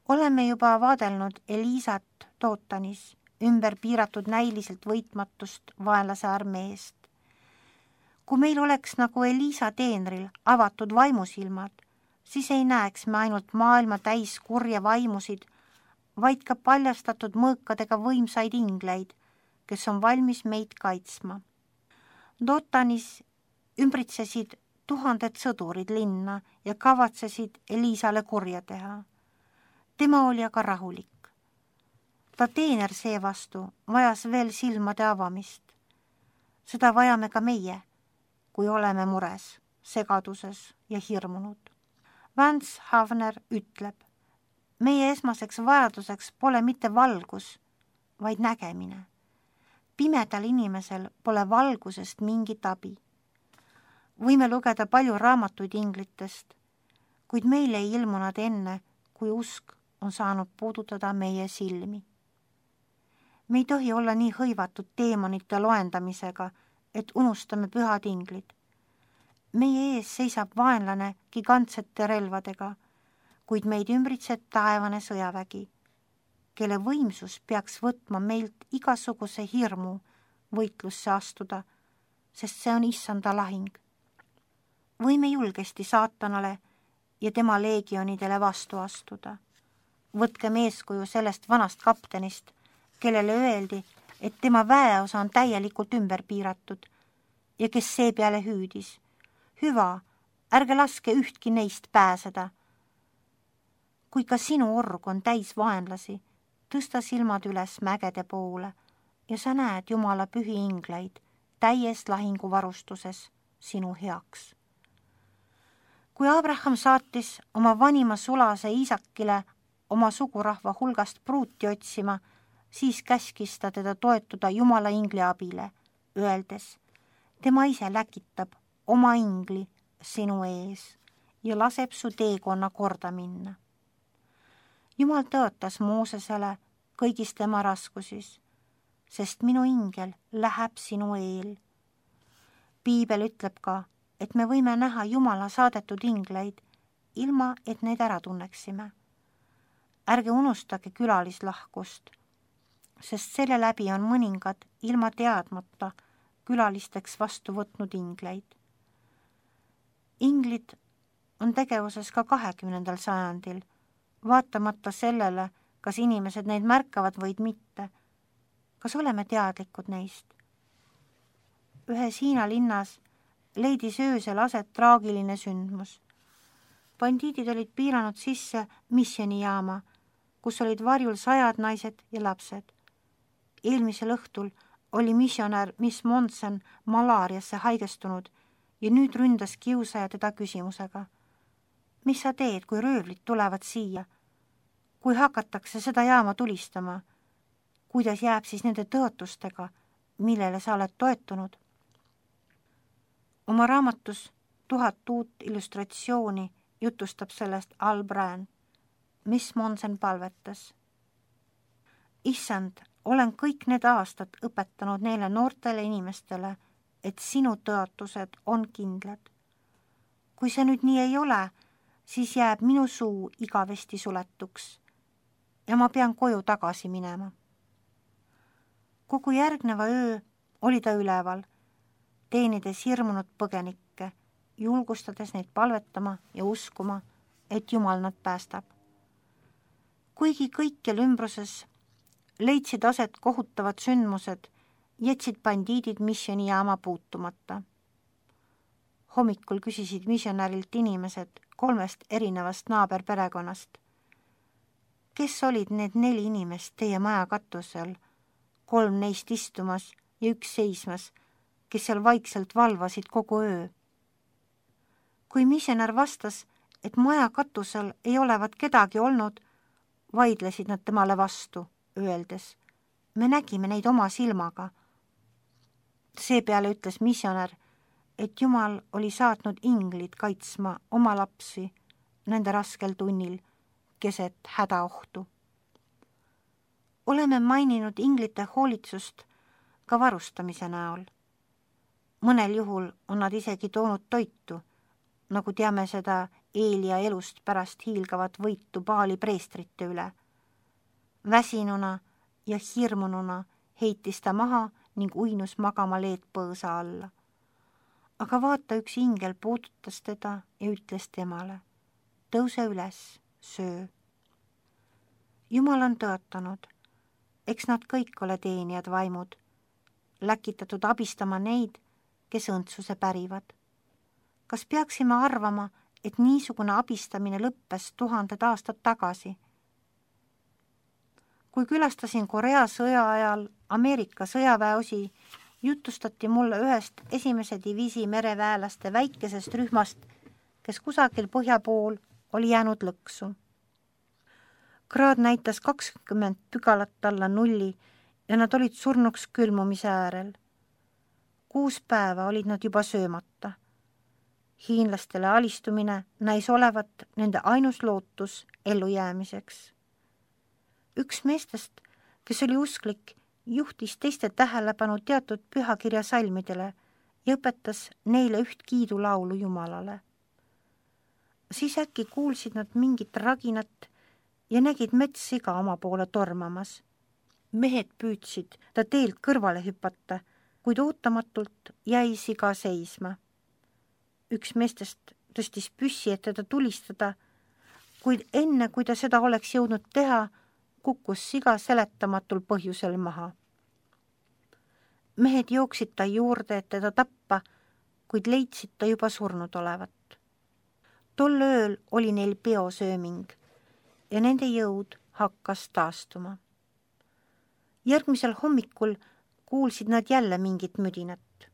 Oleme juba vaadelnud Elisat Dootanis, ümber piiratud näiliselt võitmatust vaenlase armeest. Kui meil oleks nagu Elisa teenril avatud vaimusilmad, siis ei näeks me ainult maailma täis kurja vaimusid, vaid ka paljastatud mõõkadega võimsaid ingleid, kes on valmis meid kaitsma. Dootanis ümbritsesid 1000 sõdurid linna ja kavatsesid Elisale kurja teha. Tema oli aga rahulik. Ta teener seevastu vajas veel silmade avamist. Seda vajame ka meie, kui oleme mures, segaduses ja hirmunud. Vance Havner ütleb, meie esmaseks vajaduseks pole mitte valgus, vaid nägemine. Pimedal inimesel pole valgusest mingit abi. Võime lugeda palju raamatuid inglitest, kuid meil ei ilmu nad enne, kui usk on saanud puudutada meie silmi. Me ei tohi olla nii hõivatud teemonite loendamisega, et unustame pühad inglid. Meie ees seisab vaenlane gigantsete relvadega, kuid meid ümbritseb taevane sõjavägi, kelle võimsus peaks võtma meilt igasuguse hirmu võitlusse astuda, sest see on issanda lahing. Võime julgesti saatanale ja tema leegionidele vastu astuda. Võtkem eeskuju sellest vanast kaptenist, kellele öeldi, et tema väeosa on täielikult ümber piiratud ja kes seepeale hüüdis. Hüva, ärge laske ühtki neist pääseda. Kui ka sinu org on täis vaenlasi, tõsta silmad üles mägede poole ja sa näed Jumala pühi ingleid täies lahinguvarustuses sinu heaks. Kui Abraham saatis oma vanima sulase Iisakile oma sugurahva hulgast pruuti otsima, siis käskis ta teda toetuda Jumala ingli abile, öeldes, tema ise läkitab oma ingli sinu ees ja laseb su teekonna korda minna. Jumal tõotas Moosesele kõigis tema raskusis, sest minu ingel läheb sinu eel. Piibel ütleb ka, et me võime näha Jumala saadetud ingleid, ilma et neid ära tunneksime. Ärge unustage külalislahkust, sest selle läbi on mõningad ilma teadmata külalisteks vastu võtnud ingleid. Inglid on tegevuses ka 20. sajandil, vaatamata sellele, kas inimesed neid märkavad või mitte. Kas oleme teadlikud neist? Ühes Hiina linnas leidis öösel aset traagiline sündmus. Bandiidid olid piiranud sisse missioonijaama, kus olid varjul 100 naised ja lapsed. Eelmisel õhtul oli missionär Miss Monson malaariasse haigestunud ja nüüd ründas kiusaja teda küsimusega. Mis sa teed, kui röövlid tulevad siia? Kui hakatakse seda jaama tulistama? Kuidas jääb siis nende tõotustega, millele sa oled toetunud? Oma raamatus 1000 uut illustratsiooni jutustab sellest Al Brand. Miss Monson palvetas. Issand, olen kõik need aastad õpetanud neile noortele inimestele, et sinu tõotused on kindlad. Kui see nüüd nii ei ole, siis jääb minu suu igavesti suletuks ja ma pean koju tagasi minema. Kogu järgneva öö oli ta üleval, teenides hirmunud põgenikke, julgustades neid palvetama ja uskuma, et Jumal nad päästab. Kuigi kõikjal ümbruses leidsid aset kohutavad sündmused, jätsid bandiidid missioonijaama puutumata. Hommikul küsisid missionärilt inimesed 3 erinevast naaberperekonnast. Kes olid need 4 inimest teie maja katusel, 3 neist istumas ja 1 seismas, kes seal vaikselt valvasid kogu öö? Kui missionär vastas, et maja katusel ei olevat kedagi olnud, vaidlesid nad temale vastu, öeldes, me nägime neid oma silmaga. Seepeale ütles missionär, et Jumal oli saatnud inglid kaitsma oma lapsi nende raskel tunnil keset hädaohtu. Oleme maininud inglite hoolitsust ka varustamise näol. Mõnel juhul on nad isegi toonud toitu, nagu teame seda Eelia elust pärast hiilgavat võitu Baali preestrite üle. Väsinuna ja hirmununa heitis ta maha ning uinus magama leedpõõsa alla. Aga vaata, üks ingel puudutas teda ja ütles temale: tõuse üles, söö. Jumal on tõotanud, eks nad kõik ole teenijad vaimud, läkitatud abistama neid, kes õndsuse pärivad. Kas peaksime arvama, et niisugune abistamine lõppes 1000 aastat tagasi? Kui külastasin Korea sõja ajal Ameerika sõjaväeosi, jutustati mulle ühest 1. diviisi mereväelaste väikesest rühmast, kes kusagil põhja pool oli jäänud lõksu. Kraad näitas 20 pügalat alla nulli ja nad olid surnuks külmumise äärel. 6 päeva olid nad juba söömata. Hiinlastele alistumine näis olevat nende ainus lootus ellujäämiseks. Üks meestest, kes oli usklik, juhtis teiste tähelepanu teatud pühakirja salmidele ja õpetas neile üht kiidulaulu Jumalale. Siis äkki kuulsid nad mingit raginat ja nägid metssiga oma poole tormamas. Mehed püüdsid ta teelt kõrvale hüpata, kuid ootamatult jäi siga seisma. Üks meestest tõstis püssi, et teda tulistada, kuid enne, kui ta seda oleks jõudnud teha, kukkus siga seletamatul põhjusel maha. Mehed jooksid ta juurde, et teda tappa, kuid leidsid ta juba surnud olevat. Tol ööl oli neil peosööming ja nende jõud hakkas taastuma. Järgmisel hommikul kuulsid nad jälle mingit müdinat.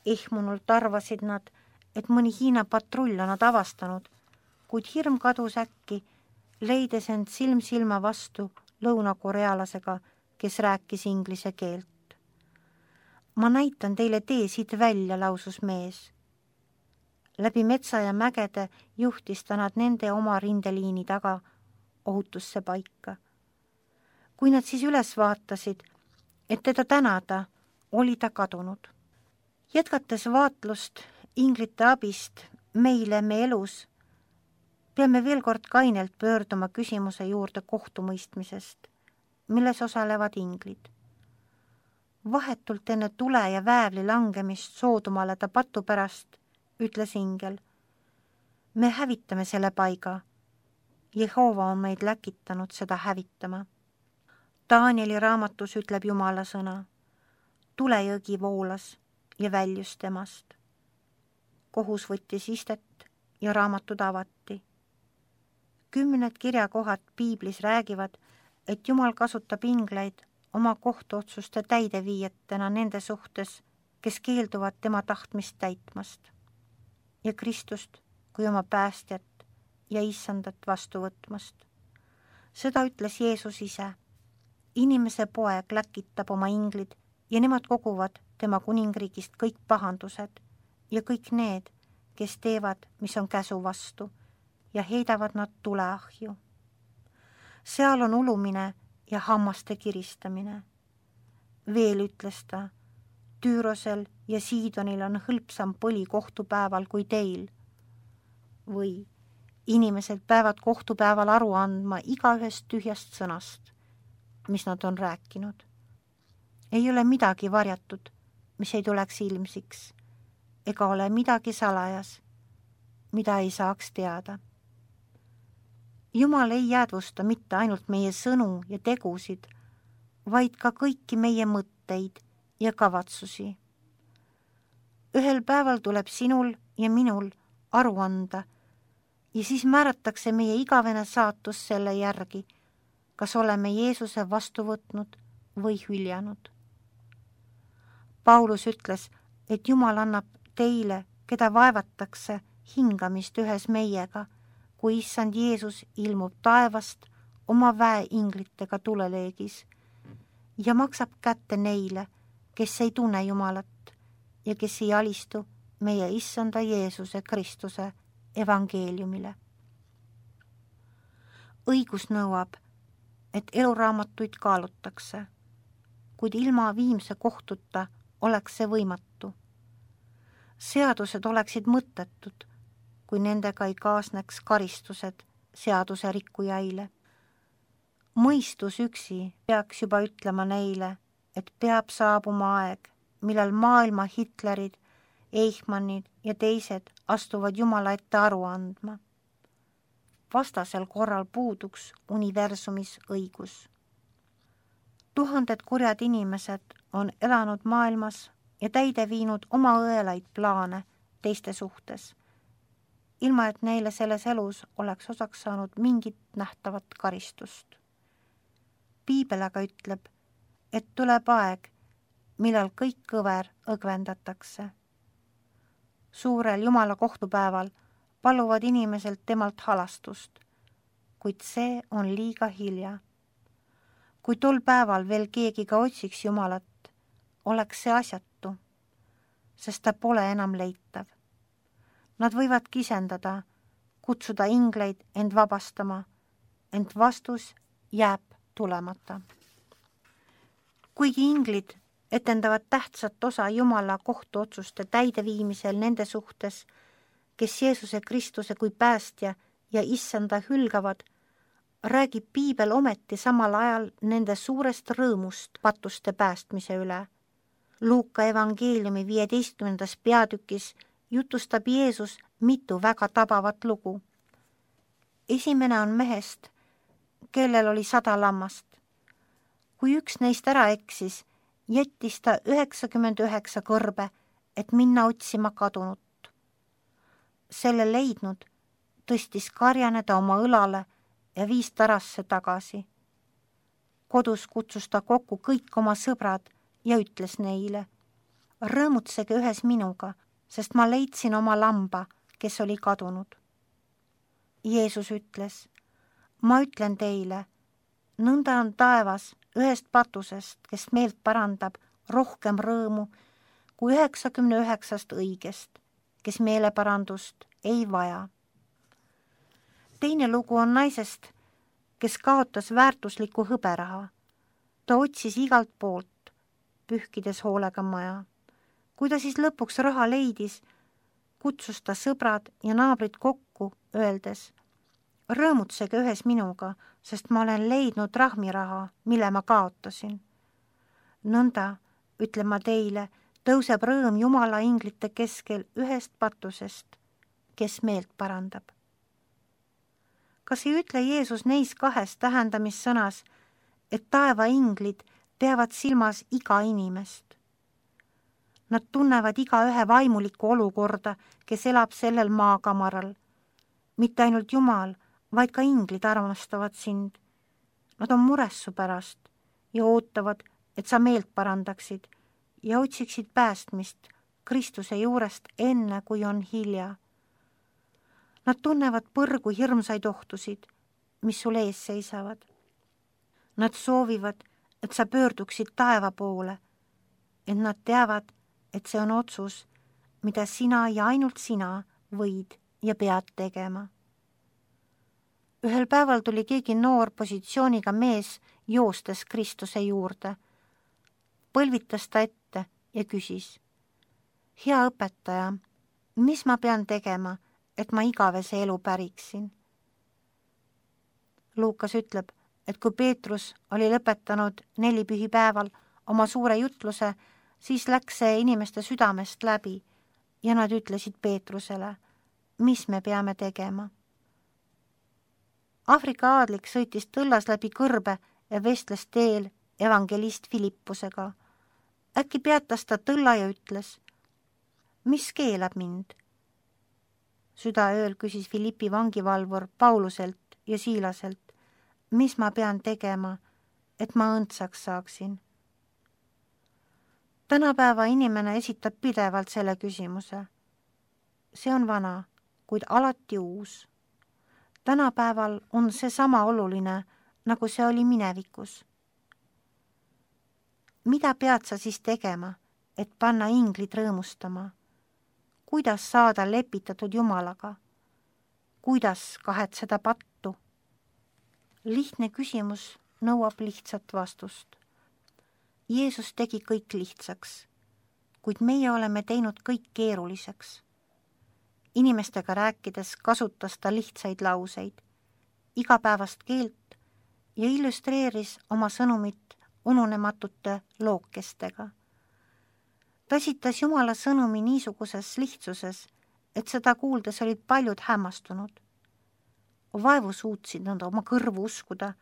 Ehmunult arvasid nad, et mõni Hiina patrull on nad avastanud, kuid hirm kadus äkki, leides end silm silma vastu lõunakorealasega, kes rääkis inglise keelt. Ma näitan teile tee siit välja, lausus mees. Läbi metsa ja mägede juhtis ta nad nende oma rindeliini taga ohutusse paika. Kui nad siis üles vaatasid, et teda tänada, oli ta kadunud. Jätkates vaatlust inglite abist meile me elus, peame veel kord kainelt pöörduma küsimuse juurde kohtumõistmisest, milles osalevad inglid. Vahetult enne tule ja väävli langemist Soodumale ta patu pärast ütles ingel: me hävitame selle paiga. Jehova on meid läkitanud seda hävitama. Danieli raamatus ütleb Jumala sõna: tulejõgi voolas ja väljus temast. Kohus võttis istet ja raamatud avati. 10 kirjakohad piiblis räägivad, et Jumal kasutab ingleid oma kohtuotsuste täideviijatena nende suhtes, kes keelduvad tema tahtmist täitmast, ja Kristust kui oma päästjat ja issandat vastu võtmast. Seda ütles Jeesus ise. Inimese poeg läkitab oma inglid ja nemad koguvad tema kuningriigist kõik pahandused ja kõik need, kes teevad, mis on käsu vastu, ja heidavad nad tuleahju. Seal on ulumine ja hammaste kiristamine. Veel ütles ta: Tüürosel ja Siidonil on hõlpsam põli kohtupäeval kui teil. Või inimesed peavad kohtupäeval aru andma igaühest tühjast sõnast, mis nad on rääkinud. Ei ole midagi varjatud, mis ei tuleks ilmsiks, ega ole midagi salajas, mida ei saaks teada. Jumal ei jäädvusta mitte ainult meie sõnu ja tegusid, vaid ka kõiki meie mõtteid ja kavatsusi. Ühel päeval tuleb sinul ja minul aru anda ja siis määratakse meie igavene saatus selle järgi, kas oleme Jeesuse vastu võtnud või hüljanud. Paulus ütles, et Jumal annab teile, keda vaevatakse, hingamist ühes meiega, kui issand Jeesus ilmub taevast oma väeinglitega tuleleegis ja maksab kätte neile, kes ei tunne Jumalat ja kes ei alistu meie issanda Jeesuse Kristuse evangeeliumile. Õigus nõuab, et eluraamatuid kaalutakse, kuid ilma viimse kohtuta oleks see võimatu. Seadused oleksid mõttetud, kui nendega ei kaasneks karistused seaduse rikkujaile. Mõistus üksi peaks juba ütlema neile, et peab saabuma aeg, millal maailma Hitlerid, Eichmannid ja teised astuvad Jumala ette aru andma. Vastasel korral puuduks universumis õigus. Tuhanded kurjad inimesed on elanud maailmas ja täide viinud oma õelaid plaane teiste suhtes, ilma et neile selles elus oleks osaks saanud mingit nähtavat karistust. Piibel aga ütleb, et tuleb aeg, millal kõik kõver õgvendatakse. Suurel Jumala kohtupäeval paluvad inimeselt temalt halastust, kuid see on liiga hilja. Kui tol päeval veel keegi ka otsiks Jumalat, oleks see asjatu, sest ta pole enam leitav. Nad võivad kisendada, kutsuda ingleid end vabastama, ent vastus jääb tulemata. Kuigi inglid etendavad tähtsat osa Jumala kohtuotsuste täideviimisel nende suhtes, kes Jeesuse Kristuse kui päästja ja issanda hülgavad, räägib Piibel ometi samal ajal nende suurest rõõmust patuste päästmise üle. Luuka evangeeliumi 15. peatükis jutustab Jeesus mitu väga tabavat lugu. Esimene on mehest, kellel oli 100 lammast. Kui üks neist ära eksis, jättis ta 99 kõrbe, et minna otsima kadunut. Selle leidnud tõstis karjane ta oma õlale ja viis tarasse tagasi. Kodus kutsus ta kokku kõik oma sõbrad ja ütles neile, rõõmutsege ühes minuga, sest ma leidsin oma lamba, kes oli kadunud. Jeesus ütles, ma ütlen teile, nõnda on taevas ühest patusest, kes meelt parandab, rohkem rõõmu kui 99 õigest, kes meeleparandust ei vaja. Teine lugu on naisest, kes kaotas väärtusliku hõberaha. Ta otsis igalt poolt, pühkides hoolega maja. Kui ta siis lõpuks raha leidis, kutsus ta sõbrad ja naabrid kokku, öeldes, rõõmutsege ühes minuga, sest ma olen leidnud rahmiraha, mille ma kaotasin. Nõnda, ütlen ma teile, tõuseb rõõm Jumala inglite keskel ühest patusest, kes meelt parandab. Kas ei ütle Jeesus neis 2 tähendamissõnas, et taeva inglid peavad silmas iga inimest? Nad tunnevad igaühe vaimulikku olukorda, kes elab sellel maakamaral. Mitte ainult Jumal, vaid ka inglid armastavad sind. Nad on mures su pärast ja ootavad, et sa meelt parandaksid ja otsiksid päästmist Kristuse juurest enne, kui on hilja. Nad tunnevad põrgu hirmsaid ohtusid, mis sul ees seisavad. Nad soovivad, et sa pöörduksid taeva poole, et nad teavad, et see on otsus, mida sina ja ainult sina võid ja pead tegema. Ühel päeval tuli keegi noor positsiooniga mees joostes Kristuse juurde. Põlvitas ta ette ja küsis, hea õpetaja, mis ma pean tegema, et ma igavese elu päriksin? Luukas ütleb, et kui Peetrus oli lõpetanud 4 pühipäeval oma suure jutluse, siis läks see inimeste südamest läbi ja nad ütlesid Peetrusele, mis me peame tegema. Aafrika aadlik sõitis tõllas läbi kõrbe ja vestles teel evangelist Filippusega. Äkki peatas ta tõlla ja ütles, mis keelab mind? Südaööl küsis Filippi vangivalvur Pauluselt ja Siilaselt, mis ma pean tegema, et ma õndsaks saaksin. Tänapäeva inimene esitab pidevalt selle küsimuse. See on vana, kuid alati uus. Tänapäeval on see sama oluline, nagu see oli minevikus. Mida pead sa siis tegema, et panna inglid rõõmustama? Kuidas saada lepitatud Jumalaga? Kuidas kahetseda pattu? Lihtne küsimus nõuab lihtsat vastust. Jeesus tegi kõik lihtsaks, kuid meie oleme teinud kõik keeruliseks. Inimestega rääkides kasutas ta lihtsaid lauseid, igapäevast keelt ja illustreeris oma sõnumit ununematute lookestega. Ta esitas Jumala sõnumi niisuguses lihtsuses, et seda kuuldes olid paljud hämmastunud. Vaevu suutsid nad oma kõrvu uskuda,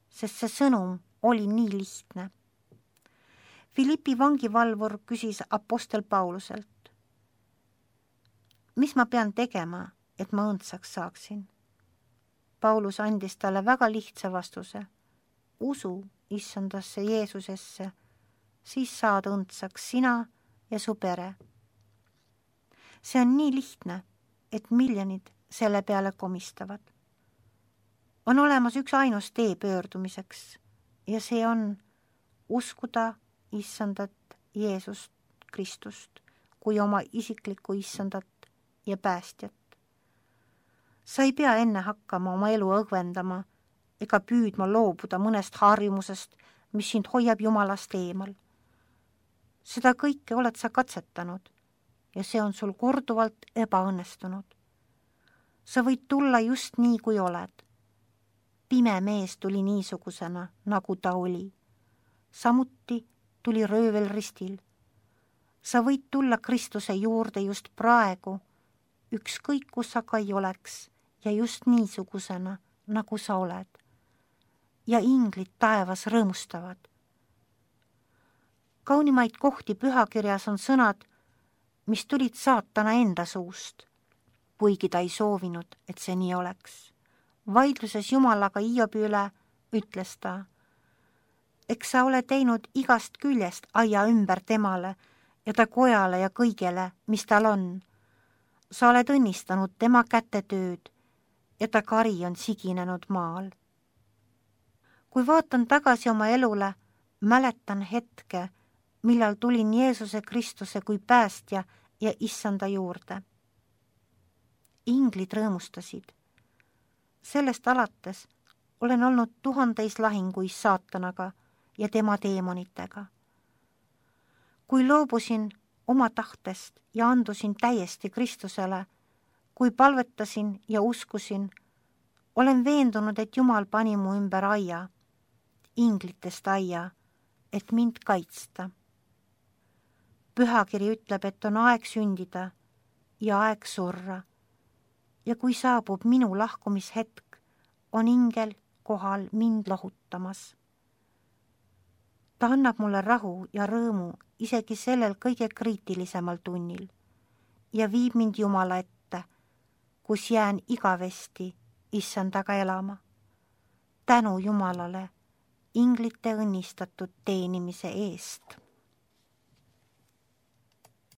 sest see sõnum oli nii lihtne. Philippi vangivalvur küsis apostel Pauluselt, mis ma pean tegema, et ma õndsaks saaksin? Paulus andis talle väga lihtsa vastuse. Usu issandasse Jeesusesse, siis saad õndsaks sina ja su pere. See on nii lihtne, et miljonid selle peale komistavad. On olemas üks ainus tee pöördumiseks ja see on uskuda issandat Jeesust Kristust kui oma isiklikku issandat ja päästjat. Sa ei pea enne hakkama oma elu õgvendama ega püüdma loobuda mõnest harjumusest, mis sind hoiab Jumalast eemal. Seda kõike oled sa katsetanud ja see on sul korduvalt ebaõnnestunud. Sa võid tulla just nii, kui oled. Pime mees tuli niisugusena, nagu ta oli. Samuti tuli röövel ristil. Sa võid tulla Kristuse juurde just praegu, ükskõik kus sa ka ei oleks ja just niisugusena, nagu sa oled. Ja inglid taevas rõõmustavad. Kaunimaid kohti pühakirjas on sõnad, mis tulid saatana enda suust, kuigi ta ei soovinud, et see nii oleks. Vaidluses Jumalaga Hiobi üle ütles ta, eks sa ole teinud igast küljest aia ümber temale ja ta kojale ja kõigele, mis tal on. Sa oled õnnistanud tema kätetööd ja ta kari on siginenud maal. Kui vaatan tagasi oma elule, mäletan hetke, millal tulin Jeesuse Kristuse kui päästja ja issanda juurde. Inglid rõõmustasid. Sellest alates olen olnud tuhandeis lahinguis saatanaga ja tema teemonitega. Kui loobusin oma tahtest ja andusin täiesti Kristusele, kui palvetasin ja uskusin, olen veendunud, et Jumal pani mu ümber aia, inglitest aia, et mind kaitsta. Pühakiri ütleb, et on aeg sündida ja aeg surra. Ja kui saabub minu lahkumishetk, on ingel kohal mind lohutamas. Ta annab mulle rahu ja rõõmu isegi sellel kõige kriitilisemal tunnil ja viib mind Jumala ette, kus jään igavesti issandaga elama. Tänu Jumalale inglite õnnistatud teenimise eest.